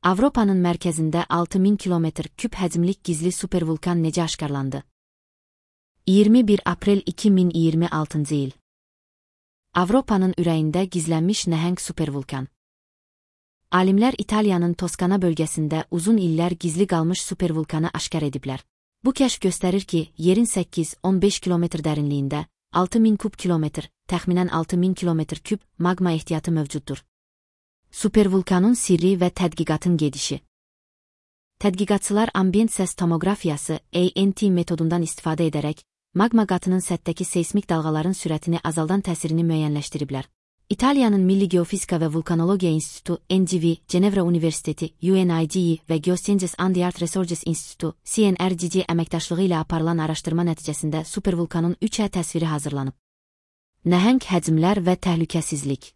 Avropanın mərkəzində 6000 kilometr küp həcmlik gizli supervulkan necə aşkarlandı? 21 aprel 2026 il. Avropanın ürəyində gizlənmiş nəhəng supervulkan. Alimlər İtaliyanın Toskana bölgəsində uzun illər gizli qalmış supervulkanı aşkar ediblər. Bu kəşf göstərir ki, yerin 8-15 kilometr dərinliyində 6000 kub kilometr, təxminən 6000 kilometr küp magma ehtiyatı mövcuddur. Supervulkanın sirri və tədqiqatın gedişi. Tədqiqatçılar ambient səs tomografiyası (ANT) metodundan istifadə edərək, magma qatının səthdəki seismik dalğaların sürətini azaldan təsirini müəyyənləşdiriblər. İtaliyanın Milli Geofizika və Vulkanologiya İnstitutu (NGV), Cenevra Universiteti (UNIGE) və Geosciences and the Art Research İnstitutu (CNRGC) əməkdaşlığı ilə aparılan araşdırma nəticəsində supervulkanın 3D təsviri hazırlanıb. Nəhəng həcmlər və təhlükəsizlik.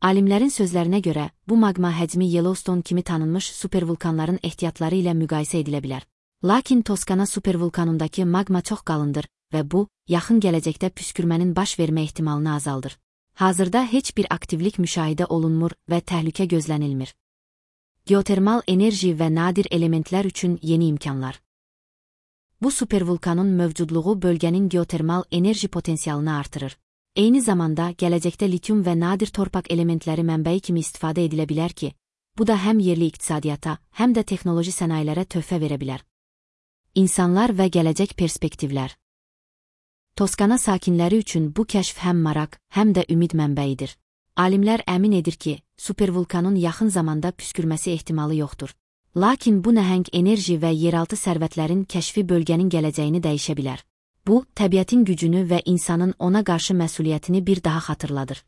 Alimlərin sözlərinə görə, bu maqma həcmi Yellowstone kimi tanınmış supervulkanların ehtiyatları ilə müqayisə edilə bilər. Lakin Toskana supervulkanındakı maqma çox qalındır və bu, yaxın gələcəkdə püskürmənin baş vermə ehtimalını azaldır. Hazırda heç bir aktivlik müşahidə olunmur və təhlükə gözlənilmir. Geotermal enerji və nadir elementlər üçün yeni imkanlar. Bu supervulkanın mövcudluğu bölgənin geotermal enerji potensialını artırır. Eyni zamanda, gələcəkdə lityum və nadir torpaq elementləri mənbəyi kimi istifadə edilə bilər ki, bu da həm yerli iqtisadiyyata, həm də texnoloji sənayelərə töhfə verə bilər. İnsanlar və gələcək perspektivlər. Toskana sakinləri üçün bu kəşf həm maraq, həm də ümid mənbəyidir. Alimlər əmin edir ki, supervulkanın yaxın zamanda püskürməsi ehtimalı yoxdur. Lakin bu nəhəng enerji və yeraltı sərvətlərin kəşfi bölgənin gələcəyini dəyişə bilər. Bu, təbiətin gücünü və insanın ona qarşı məsuliyyətini bir daha xatırladır.